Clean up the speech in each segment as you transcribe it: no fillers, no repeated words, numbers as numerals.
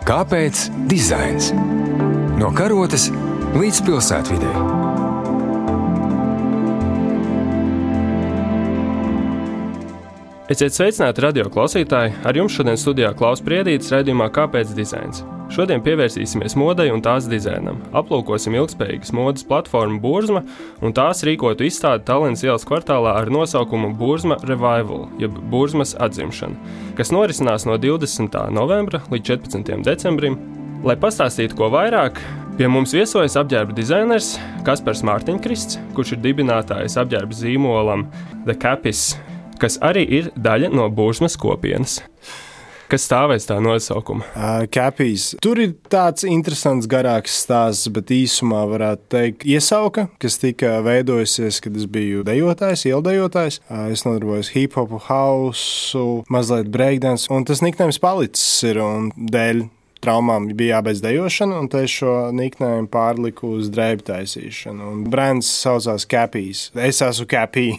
Kāpēc dizains? No karotes līdz pilsētvidei. Esiet sveicināti radio klausītāji, ar jums šodien studijā Klaus Priedītis raidījumā Kāpēc dizains? Šodien pievērsīsimies modei un tās dizainam. Aplūkosim ilgspējīgas modes platformu Burzma un tās rīkotu izstādi Tallinas ielas kvartālā ar nosaukumu Burzma Revival, jeb Burzmas atzimšana, kas norisinās no 20. novembra līdz 14. decembrim. Lai pastāstītu ko vairāk, pie mums viesojas apģērba dizainers Kaspars Mārtiņkrists, kurš ir dibinātājs apģērba zīmolam The Capis, kas arī ir daļa no Burzmas kopienas. Kas stāvēs tā nosaukuma? Capis. Tur ir tāds interesants garāks stāsts, bet īsumā varētu teikt iesauka, kas tika veidojusies, kad es biju dejotājs, ieldejotājs. Es nodarbojos hip-hopu, hausu, mazliet breakdance, un tas niknējums palicis ir un dēļ traumām bija jābeidz dejošana, un te šo niknējumu pārliku uz drēbu taisīšanu. Un brands saucās Capis. Es esmu Capī.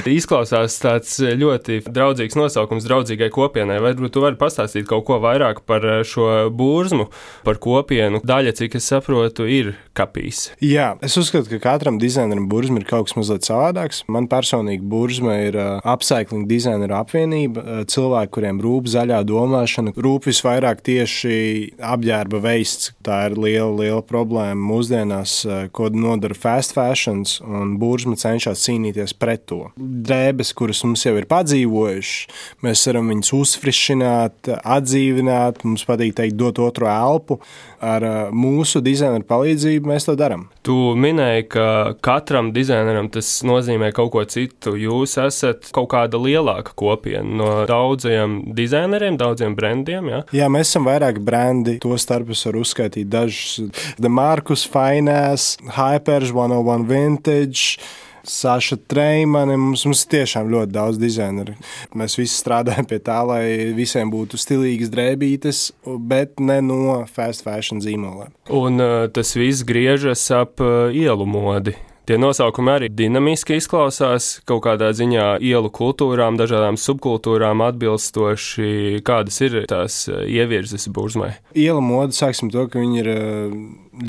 Izklausās tāds ļoti draudzīgs nosaukums draudzīgai kopienai. Varbūt tu vari pastāstīt kaut ko vairāk par šo Burzmu, par kopienu. Daļa, cik es saprotu, ir Capīs. Jā, es uzskatu, ka katram dizaineram Burzma ir kaut kas mazliet savādāks. Man personīgi Burzma ir upcycling dizaineru apvienība. Cilvēki, kuriem rūp zaļā domāšana, rūp visvairāk tieši apģērba veists. Tā ir liela problēma mūsdienās, ko nodara fast fashions, un Burzma cenšas cīnīties pret to. Drēbes, kuras mums jau ir padzīvojušas, mēs varam viņus uzfrišināt, atdzīvināt, mums patīk teikt dot otru elpu. Ar mūsu dizaineru palīdzību mēs to darām. Tu minēji, ka katram dizaineram tas nozīmē kaut ko citu. Jūs esat kaut kāda lielāka kopiena no daudziem dizaineriem, daudziem brandiem, jā? Jā, mēs esam vairāk brandi, to starp es varu uzskaitīt dažus. The Marcus Finesse, Hypers, 101 Vintage, Saša Treimani, mums ir tiešām ļoti daudz dizaineru. Mēs visi strādājam pie tā, lai visiem būtu stilīgas drēbītes, bet ne no fast fashion zīmoliem. Un tas viss griežas ap ielu modi. Tie nosaukumi arī dinamiski izklausās, kaut kādā ziņā ielu kultūrām, dažādām subkultūrām atbilstoši. Kādas ir tās ievirzes Burzmai? Ielu moda, sāksim to, ka viņi ir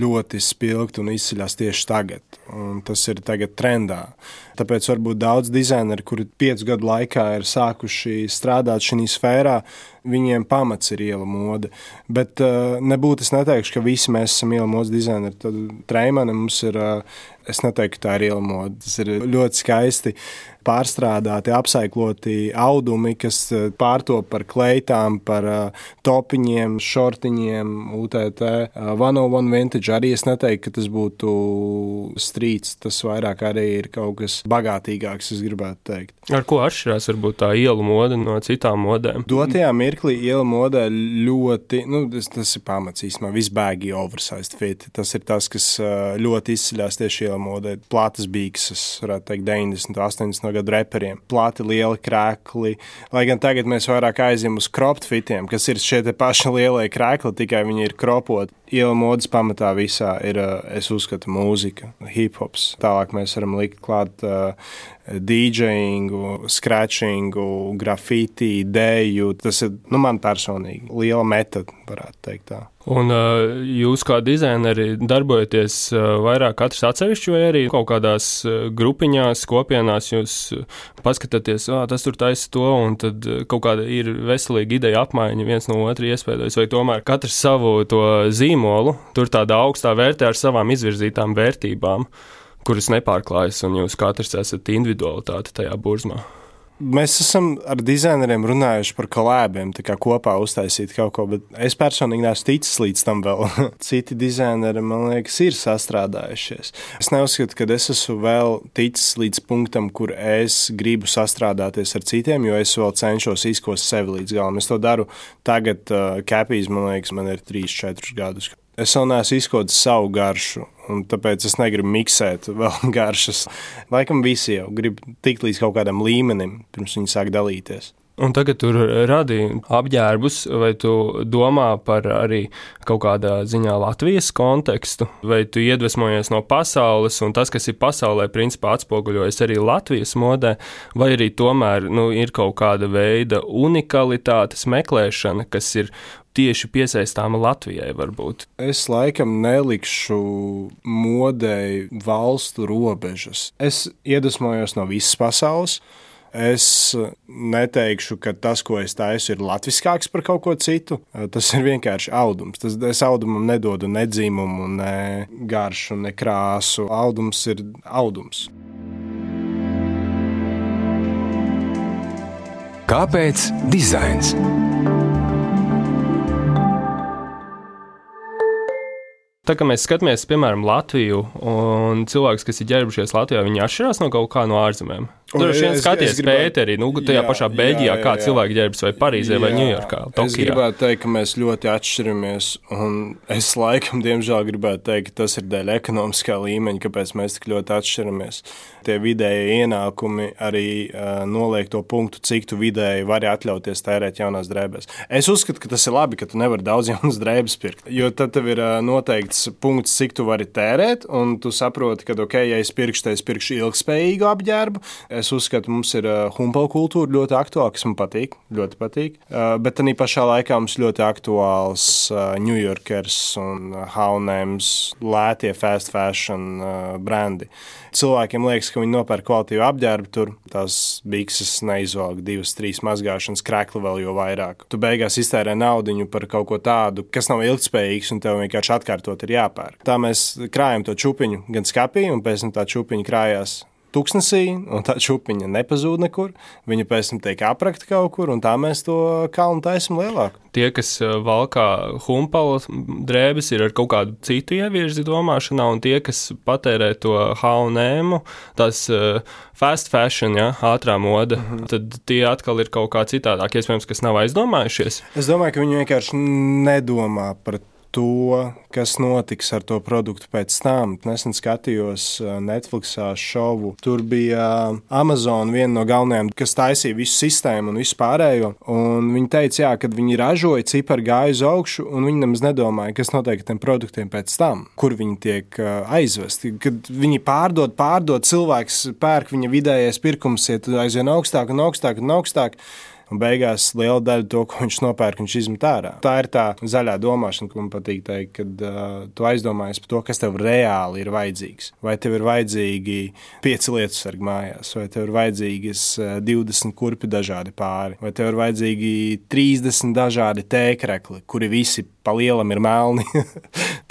ļoti spilgti un izceļās tieši tagad. Un tas ir tagad trendā. Tāpēc varbūt daudz dizaineri, kuri 5 gadu laikā ir sākuši strādāt šī sfērā, viņiem pamats ir ielu moda. Bet nebūtu es neteikšu, ka visi mēs esam ielu modas dizaineri. Tad Treimani mums ir, es neteiktu, ka tā ir ielu moda. Tas ir ļoti skaisti pārstrādāti, apsaikloti audumi, kas pārtop par kleitām, par topiņiem, šortiņiem, UTT. 101 Vintage arī es neteiktu, ka tas būtu strīts, tas vairāk arī ir kaut kas bagātīgāks, es gribētu teikt. Ar ko atšķirās varbūt tā ielu moda no citām modēm? Dotajā mirklī ielu modē ļoti, tas ir pamats īstenībā, visbēgi oversized fit. Tas ir tas, kas ļoti izceļās tieši ielu modē. Platas bīksas, varētu teikt, 90, 80 gadu reperiem. Plati lieli krēkli, lai gan tagad mēs vairāk aizjam uz cropped fitiem, kas ir šie te paši lielie krēkli, tikai viņi ir kropoti. Ielu modas pamatā visā ir, es uzskatu, mūzika, hip-hops. Tālāk mēs varam likt klāt DJingu, scratchingu, grafiti, ideju. Tas ir, man personīgi, liela metoda, varētu teikt tā. Un jūs kā dizaineri darbojaties vairāk katrs atsevišķi vai arī kaut kādās grupiņās, kopienās jūs paskatāties, tas tur taisa to, un tad kaut kāda ir veselīga ideja apmaiņa viens no otru iespējas, vai tomēr katrs savu to zīmolu, tur tādā augstā vērtē ar savām izvirzītām vērtībām, kuras nepārklājas, un jūs katrs esat individualitāte tajā Burzmā. Mēs esam ar dizaineriem runājuši par kolēbiem, tā kā kopā uztaisīt kaut ko, bet es personīgi neesmu ticis līdz tam vēl. Citi dizaineri, man liekas, ir sastrādājušies. Es neuzskatu, ka es esmu vēl ticis līdz punktam, kur es gribu sastrādāties ar citiem, jo es vēl cenšos izkost sevi līdz galam. Es to daru tagad, Capīs, man liekas, man ir 3-4 gadus. Es vēl neesmu izkodis savu garšu, un tāpēc es negribu miksēt vēl garšas. Laikam visi jau grib tikt līdz kaut kādam līmenim, pirms viņi sāk dalīties. Un tagad tur radīja apģērbus, vai tu domā par arī kaut kādā ziņā Latvijas kontekstu, vai tu iedvesmojies no pasaules, un tas, kas ir pasaulē, principā atspoguļojas arī Latvijas modē, vai arī tomēr ir kaut kāda veida unikalitātes meklēšana, kas ir tieši piesaistāma Latvijai varbūt? Es laikam nelikšu modei valstu robežas. Es iedvesmojos no visas pasaules. Es neteikšu, ka tas, ko es taisu, ir latviskāks par kaut ko citu. Tas ir vienkārši audums. Es audumam nedodu ne dzimumu, ne garšu, ne krāsu. Audums ir audums. Kāpēc dizains? Tā kā mēs skatāmies, piemēram, Latviju, un cilvēks, kas ir ģērbušies Latvijā, viņi atšķirās no kaut kā no ārzemēm. Droši vien skaties Pēteri, tajā pašā Beļģijā, kā cilvēki ģērbjas vai Parīzē vai Ņujorkā, Tokijā. Es gribētu teikt, ka mēs ļoti atšķiramies, un es laikam, diemžēl, gribētu teikt, ka tas ir dēļ ekonomiskā līmeņa, kāpēc mēs tik ļoti atšķiramies. Tie vidēji ienākumi arī noliek to punktu, cik tu vidēji vari atļauties tērēt jaunās drēbēs. Es uzskatu, ka tas ir labi, ka tu nevari daudz jaunas drēbes pirkt, jo tad tev ir noteikts punkts, cik tu vari tērēt, un tu saproti, ka, ja es pirkšu ilgspējīgu apģērbu. Es uzskatu, mums ir humpala kultūra ļoti aktuāla, kas man patīk, ļoti patīk. Bet arī pašā laikā mums ļoti aktuāls New Yorkers un H&M's, lētie fast fashion brandi. Cilvēkiem liekas, ka viņi nopērk kvalitīvu apģērbu tur, tās bikses neizvelk 2-3 mazgāšanas, krekli vēl jo vairāk. Tu beigās iztērē naudiņu par kaut ko tādu, kas nav ilgspējīgs un tev vienkārši atkārtot ir jāpērk. Tā mēs krājam to čupiņu gan skapī, un pēc tam tā čupiņa krājās tuksnesī, un tā čupiņa nepazūd nekur. Viņa pēc tam tiek aprakta kaut kur, un tā mēs to kalnu taisam lielāku. Tie, kas valkā humpala drēbes, ir ar kaut kādu citu ievirzi domāšanā, un tie, kas patērē to H&M, tās fast fashion, ātrā moda, tad tie atkal ir kaut kā citādāk, iespējams, kas nav aizdomājušies. Es domāju, ka viņi vienkārši nedomā par to, kas notiks ar to produktu pēc tam. Nesen skatījos Netflixā šovu. Tur bija Amazon, viena no galvenajām, kas taisīja visu sistēmu un visu pārējo. Un viņi teica, kad viņi ražoja, cipari gāja uz augšu, un viņi nemaz nedomāja, kas notiek ar tiem produktiem pēc tam, kur viņi tiek aizvesti. Kad viņi pārdod, cilvēks pērk, viņa vidējais pirkums iet aizvien augstāk un augstāk un augstāk. Un beigās liela daļa to, ko viņš nopērk, viņš izmet ārā. Tā ir tā zaļā domāšana, ko man patīk teikt, kad tu aizdomājies par to, kas tev reāli ir vajadzīgs. Vai tev ir vajadzīgi 5 lietusargi mājās, vai tev ir vajadzīgas 20 kurpi dažādi pāri, vai tev ir vajadzīgi 30 dažādi tēkrekli, kuri visi pa lielam ir melni.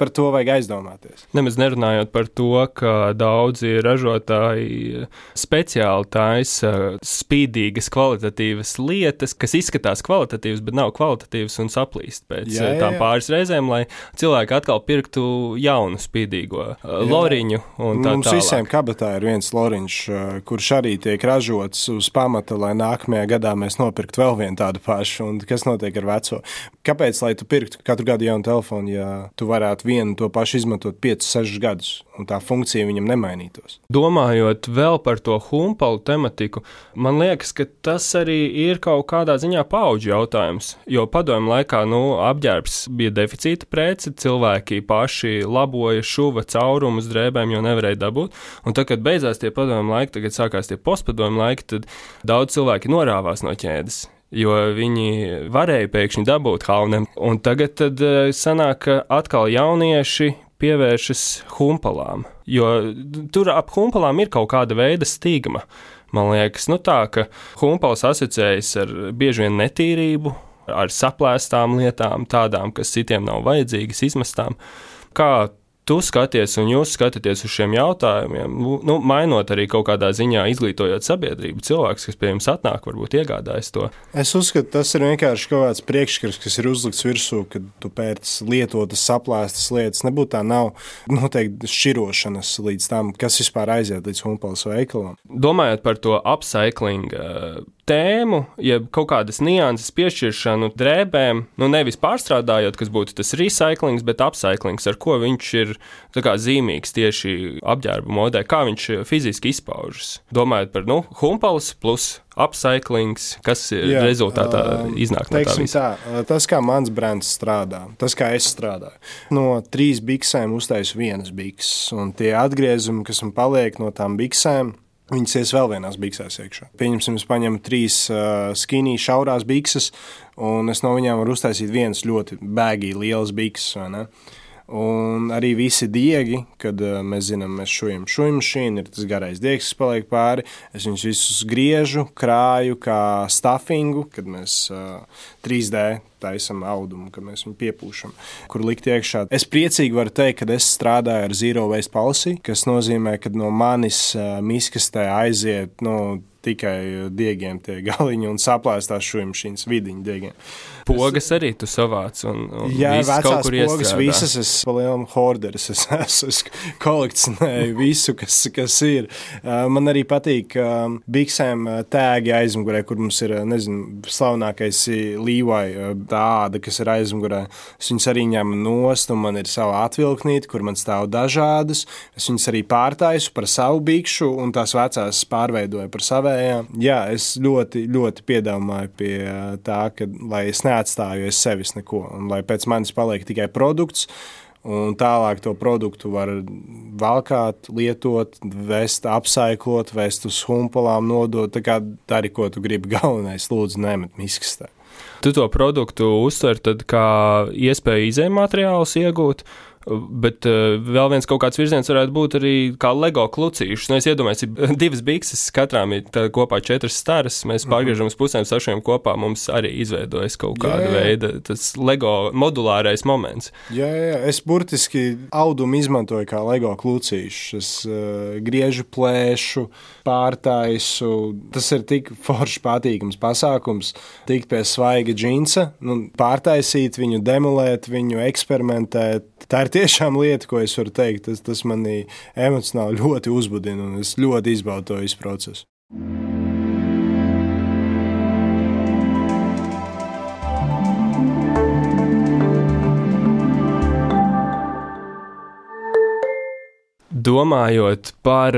Par to vajag aizdomāties. Nemaz nerunājot par to, ka daudzi ražotāji speciāli taisa spīdīgas, kvalitatīvas lietas, kas izskatās kvalitatīvas, bet nav kvalitatīvas un saplīst pēc tām pāris reizēm, lai cilvēki atkal pirktu jaunu spīdīgo loriņu un tā tālāk. Mums visiem kabatā ir viens loriņš, kurš arī tiek ražots uz pamata, lai nākamajā gadā mēs nopirktu vēl vienu tādu pašu. Un kas notiek ar veco? Kāpēc, lai tu pirktu katru gadu jaunu telefonu, ja tu varētu vienu to pašu izmantot 5-6 gadus, un tā funkcija viņam nemainītos? Domājot vēl par to humpalu tematiku, man liekas, ka tas arī ir kaut kādā ziņā paudžu jautājums, jo padomju laikā, apģērbs bija deficīta prece, cilvēki paši laboja, šuva caurumus drēbēm, jo nevarēja dabūt, un tad, kad beidzās tie padomju laiki, tagad sākās tie postpadomju laiki, tad daudz cilvēki norāvās no ķēdes, jo viņi varēja pēkšņi dabūt H&M. Un tagad tad sanāk, ka atkal jaunieši pievēršas humpalām, jo tur ap humpalām ir kaut kāda veida stigma. Man liekas, tā, ka humpals asociējas ar bieži vien netīrību, ar saplēstām lietām, tādām, kas citiem nav vajadzīgas, izmestām. Kā tu skaties un jūs skatāties uz šiem jautājumiem, mainot arī kaut kādā ziņā, izglītojot sabiedrību, cilvēks, kas pie jums atnāk, varbūt iegādājas to? Es uzskatu, tas ir vienkārši kaut kāds priekšskats, kas ir uzlikts virsū, kad tu pērc lietotas, saplēstas lietas. Nebūtu tā nav noteikti šķirošanas līdz tam, kas vispār aiziet līdz humpalas veikalam. Domājot par to upcycling tēmu, jeb kaut kādas nianses piešķiršanu drēbēm, nevis pārstrādājot, kas būtu tas recyclings, bet upcyclings, ar ko viņš ir zīmīgs tieši apģērba modē, kā viņš fiziski izpaužas. Domājot par humpalas plus upcyclings, kas rezultātā iznāk no tā visa. Tas, kā mans brands strādā, tas, kā es strādāju. No 3 biksēm uztaisu 1 bikses, un tie atgriezumi, kas man paliek no tām biksēm, viņas ies vēl vienās biksēs iekšā. Pieņemsim, es paņemu 3 skinny šaurās bikses, un es no viņām varu uztaisīt vienas ļoti baggy lielas bikses, vai ne? Un arī visi diegi, kad mēs zinām, mēs šujam mašīnu, ir tas garais diegs, kas paliek pāri, es viņus visus griežu, krāju kā stuffingu, kad mēs 3D taisam audumu, kad mēs viņu piepūšam, kur likt iekšā. Es priecīgi varu teikt, ka es strādāju ar Zero Waste Policy, kas nozīmē, ka no manis miskastē aiziet tikai diegiem tie galiņi un saplēstās šujmašīnas vidiņu diegiem. Pogas arī tu savāc un jā, viss kaut kur iestrādā. Pogas, visas es palielam horderis, es kolekcionēju visu, kas ir. Man arī patīk biksēm tēgi aizmugurē, kur mums ir, slavenākais Levi tāda, kas ir aizmugurē. Es viņas arī ņemu nost, un man ir sava atvilknīte, kur man stāv dažādas. Es viņas arī pārtaisu par savu bikšu, un tās vecās pārveidoju par savējām. Jā, es ļoti, ļoti piedomāju pie tā, ka, lai es neatstāju es sevis neko, un lai pēc manis paliek tikai produkts, un tālāk to produktu var valkāt, lietot, vest, apsaiklot, vest uz humpalām, nodot, tā kā dari, ko tu gribi, galvenais, lūdzu, nemet miskastē. Tu to produktu uztver tad kā iespēju izējmateriālus iegūt, bet vēl viens kaut kāds virziens varētu būt arī kā Lego klucīšus. Es iedomājos, ir 2 bikses, katrām ir kopā 4 staras, mēs pārgriežam uz pusēm, sašujam kopā, mums arī izveidojas kaut kāda veida tas Lego modulārais moments. Jā, es burtiski audumu izmantoju kā Lego klucīšus. Es griežu, plēšu, pārtaisu. Tas ir tik forši patīkams pasākums, tikt pie svaiga džinsa, pārtaisīt viņu, demolēt viņu, eksperimentēt. Tā ir tiešām lieta, ko es varu teikt. Tas mani emocionāli ļoti uzbudina, un es ļoti izbaudu to visu procesu. Domājot par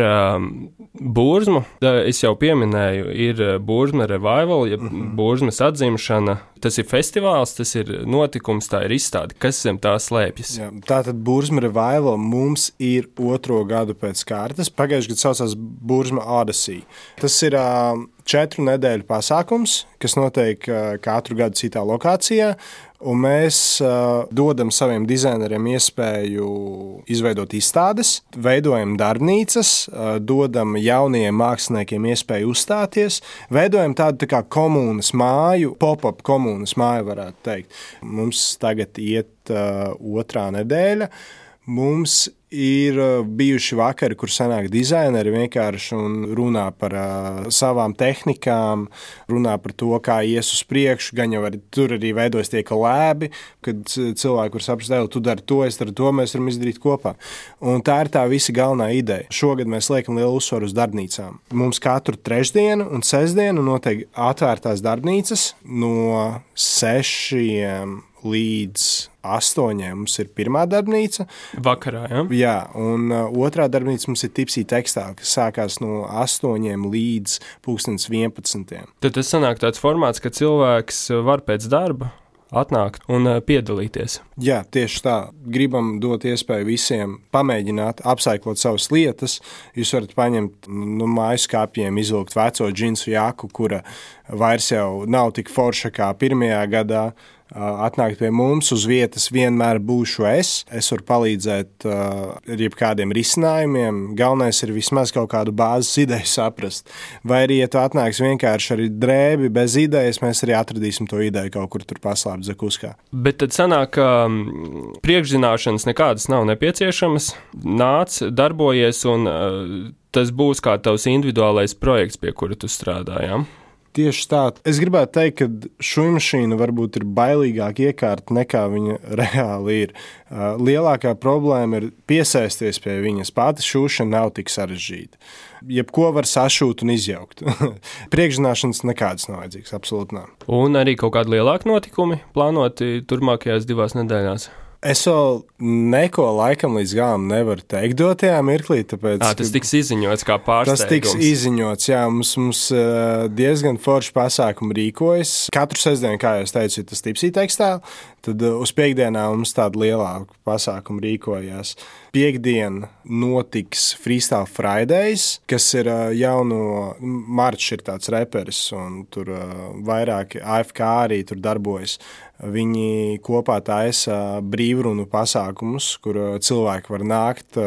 Burzmu, es jau pieminēju, ir Burzma Revival, ja Burzmas atzimšana. Tas ir festivāls, tas ir notikums, tā ir izstāde. Kas zem tā slēpjas? Jā, tātad Burzma Revival mums ir 2. gadu pēc kārtas. Pagājušajā gadā saucās Burzma Odyssey. Tas ir 4 nedēļu pasākums, kas notiek katru gadu citā lokācijā. Un mēs dodam saviem dizaineriem iespēju izveidot izstādes, veidojam darbnīcas, dodam jaunajiem māksliniekiem iespēju uzstāties, veidojam tādu tā kā komunas māju, pop-up komunas māju varētu teikt. Mums tagad iet 2. nedēļa. Mums ir bijuši vakari, kur sanāk dizaineri vienkārši un runā par savām tehnikām, runā par to, kā ies uz priekšu, gan jau tur arī veidojas tie kolēbi, kad cilvēki var saprast, tu dari to, es daru to, mēs varam izdarīt kopā. Un tā ir tā visa galvenā ideja. Šogad mēs liekam lielu uzsvaru uz darbnīcām. Mums katru trešdienu un sestdienu notiek atvērtās darbnīcas no 6 līdz 8 mums ir pirmā darbnīca. Vakarā, ja? Jā, un 2. darbnīca mums ir Tipsy Textile, kas sākās no 8 līdz 11. Tad tas sanāk tāds formāts, ka cilvēks var pēc darba atnākt un piedalīties. Jā, tieši tā. Gribam dot iespēju visiem pamēģināt, apsaiklot savas lietas. Jūs varat paņemt no mājas skāpjiem, izvilkt veco džinsu jaku, kura vairs jau nav tik forša kā pirmajā gadā. Atnākt pie mums, uz vietas vienmēr būšu es. Es varu palīdzēt ar jebkādiem risinājumiem. Galvenais ir vismaz kaut kādu bāzes ideju saprast. Vai arī, ja tu atnāks vienkārši ar drēbi bez idejas, mēs arī atradīsim to ideju kaut kur tur paslēpt zakuskā. Bet tad sanāk, ka priekšzināšanas nekādas nav nepieciešamas. Nāc, darbojies, un tas būs kā tavs individuālais projekts, pie kura tu strādājām. Tieši tā. Es gribētu teikt, ka šujmašīna varbūt ir bailīgāka iekārta nekā viņa reāli ir. Lielākā problēma ir piesaisties pie viņas. Pati šūšana nav tik sarežģīta. Jebko var sašūt un izjaukt. Priekšzināšanas nekādas nav vajadzīgas, absolūti nav. Un arī kaut kādi lielāki notikumi plānoti turmākajās 2 nedēļās? Es vēl neko laikam līdz galam nevaru teikt dotajā mirklī, tāpēc... Tas tiks izziņots kā pārsteigums. Tas tiks izziņots, jā. Mums diezgan forši pasākumi rīkojas. Katru sestdienu, kā jau es teicu, ir tas Tipsy Textile. Tad uz piekdienām mums tāda lielāka pasākuma rīkojās. Piektdien notiks Freestyle Fridays, kas ir jauno Marčs ir tāds reperis, un tur vairāki AFK arī tur darbojas. Viņi kopā taisa brīvrunu pasākumus, kur cilvēki var nākt,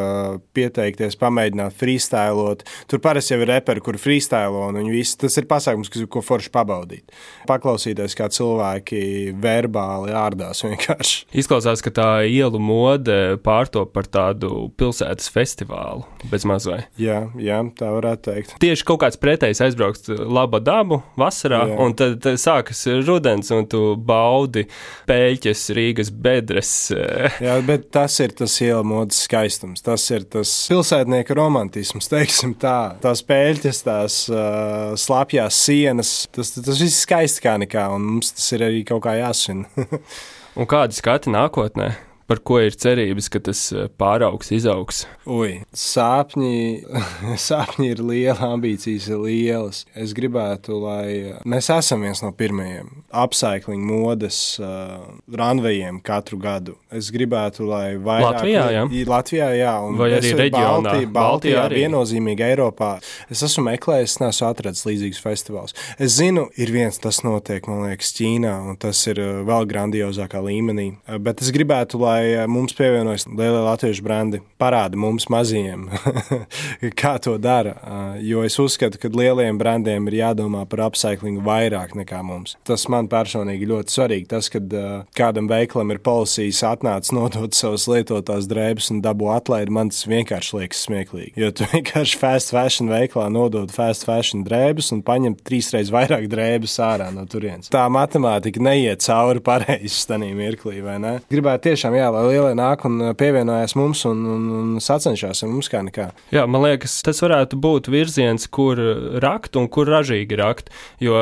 pieteikties, pamēģināt freestylot. Tur parasti jau ir reperi, kur freestylo, un viņi visi, tas ir pasākums, ko forši pabaudīt. Paklausīties, kā cilvēki verbāli ārdās vienkārši. Izklausās, ka tā ielu mode pārtop par tādu pilsētas festivālu, bez mazvai. Jā, tā varētu teikt. Tieši kaut kāds pretējs aizbraukt laba dabu vasarā, jā. Un tad sākas rudens, un tu baudi pēļķes, Rīgas bedres. Jā, bet tas ir tas iela modes skaistums, tas ir tas pilsētnieka romantisms, teiksim tā. Tās pēļķes, tās slapjās sienas, tas viss skaisti kā nekā, un mums tas ir arī kaut kā jāsvin. Un kādi skati nākotnē? Par ko ir cerības, ka tas pāraugs, izaugs? Sāpņi ir lieli, ambīcijas ir lielas. Es gribētu, lai mēs esam viens no pirmajiem upcycling modes runvejiem katru gadu. Es gribētu, lai vairāk... Latvijā, jā. Un vai arī reģionā? Baltijā arī. Viennozīmīgi Eiropā. Es esmu meklējis, es neesmu atradis līdzīgus festivālus. Es zinu, ir viens, tas notiek, man liekas, Ķīnā, un tas ir vēl grandiozākā līmenī. Bet es gribētu, lai mums pievienojas lielie latviešu brandi, parāda mums mazajiem, kā to dara. Jo es uzskatu, ka lielajiem brandiem ir jādomā par upcyclingu vairāk nekā mums. Tas man personīgi ļoti svarīgi. Tas, kad kādam veikalam ir policijas atnācis nodot savas lietotās drēbes un dabū atlaidi, man tas vienkārši liekas smieklīgi. Jo tu vienkārši fast fashion veikalā nodod fast fashion drēbes un paņem 3 reizes vairāk drēbes ārā no turienes. Tā matemātika neiet cauri pareizi stanī mirklī, vai ne? Gribētu tiešām, lai lielie nāk un pievienojās mums un sacenšās ar mums kā nekā. Jā, man liekas, tas varētu būt virziens, kur rakt un kur ražīgi rakt, jo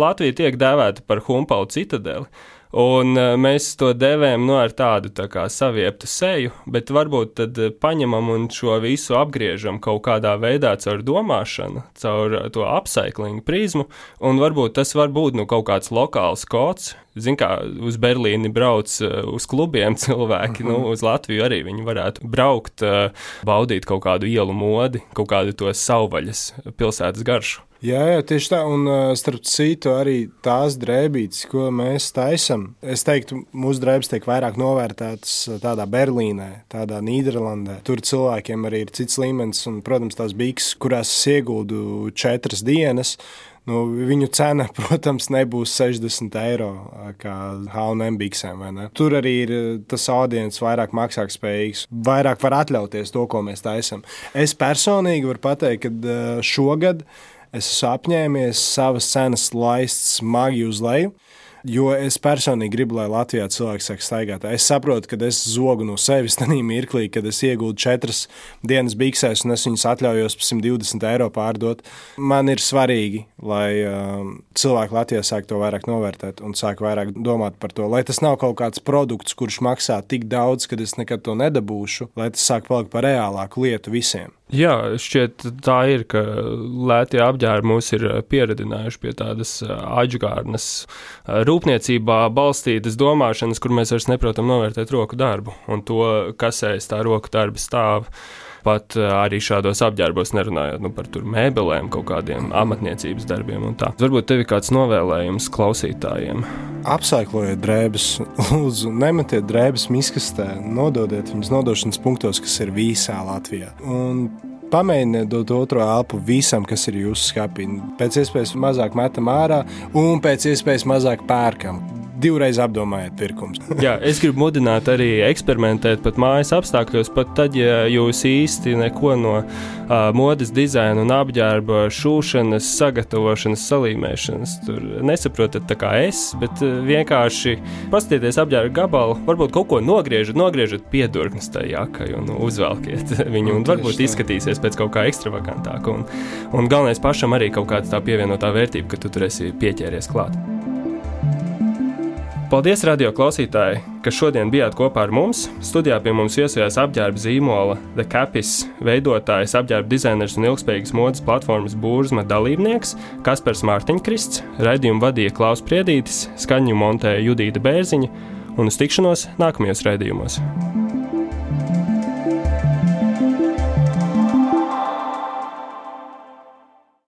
Latvija tiek dēvēta par Humpalu citadeli. Un mēs to devējam ar tādu tā kā savieptu seju, bet varbūt tad paņemam un šo visu apgriežam kaut kādā veidā caur domāšanu, caur to upcycling prizmu, un varbūt tas var būt kaut kāds lokāls kods. Zin kā, uz Berlīni brauc uz klubiem cilvēki, uz Latviju arī viņi varētu braukt, baudīt kaut kādu ielu modi, kaut kādu to savvaļas pilsētas garšu. Jā, tieši tā, un starp citu arī tās drēbītes, ko mēs taisam, es teiktu, mūsu drēbes tiek vairāk novērtētas tādā Berlīnē, tādā Nīderlandē. Tur cilvēkiem arī ir cits līmenis, un, protams, tās bikses, kurās es ieguldu 4 dienas, viņu cena, protams, nebūs 60 eiro kā H&M biksēm, vai ne? Tur arī ir tas audiens vairāk maksātspējīgs, vairāk var atļauties to, ko mēs taisam. Es personīgi varu pateikt, ka šogad es esmu apņēmies savas cenas laist smagi uz leju, jo es personīgi gribu, lai Latvijā cilvēks sāk staigāt. Es saprotu, ka es zogu no sevis tanī mirklī, kad es ieguldu 4 dienas biksēs un es viņus atļaujos par 120 eiro pārdot. Man ir svarīgi, lai cilvēki Latvijā sāk to vairāk novērtēt un sāk vairāk domāt par to, lai tas nav kaut kāds produkts, kurš maksā tik daudz, kad es nekad to nedabūšu, lai tas sāk palikt par reālāku lietu visiem. Jā, šķiet tā ir, ka lētie apģērbi mūs ir pieredinājuši pie tādas aģgārnas rūpniecībā balstītas domāšanas, kur mēs vairs neprotam novērtēt roku darbu un to, kas aiz tā roku darba stāv. Pat arī šādos apģērbos nerunājot par tur mēbelēm, kaut kādiem amatniecības darbiem un tā. Varbūt tev ir kāds novēlējums klausītājiem? Apsaiklojiet drēbes, lūdzu, nemetiet drēbes miskastē, nododiet viņas nodošanas punktos, kas ir visā Latvijā. Un pamēģiniet dot otro elpu visam, kas ir jūsu skapī. Pēc iespējas mazāk metam ārā un pēc iespējas mazāk pērkam. 2 reizes apdomājiet pirkums. Jā, es gribu mudināt arī eksperimentēt pat mājas apstākļos, pat tad, ja jūs īsti neko no modes dizaina un apģērba šūšanas, sagatavošanas, salīmēšanas tur nesaprotat tā kā es, bet vienkārši paskatieties apģērba gabalu, varbūt kaut ko nogriežat piedurknes tai jakai un uzvelkiet viņu, un varbūt izskatīsies pēc kaut kā ekstravagantāka, un galvenais pašam arī kaut kāda tā pievienotā vērtība, ka tu tur esi pieķēries klāt. Paldies, radio klausītāji, ka šodien bijāt kopā ar mums. Studijā pie mums viesojās apģērba zīmola The Capis veidotājs, apģērba dizainers un ilgspējīgas modes platformas Burzma dalībnieks Kaspars Mārtiņkrists, raidījumu vadīja Klaus Priedītis, skaņu montēja Judīta Bērziņa un uz tikšanos nākamajos raidījumos.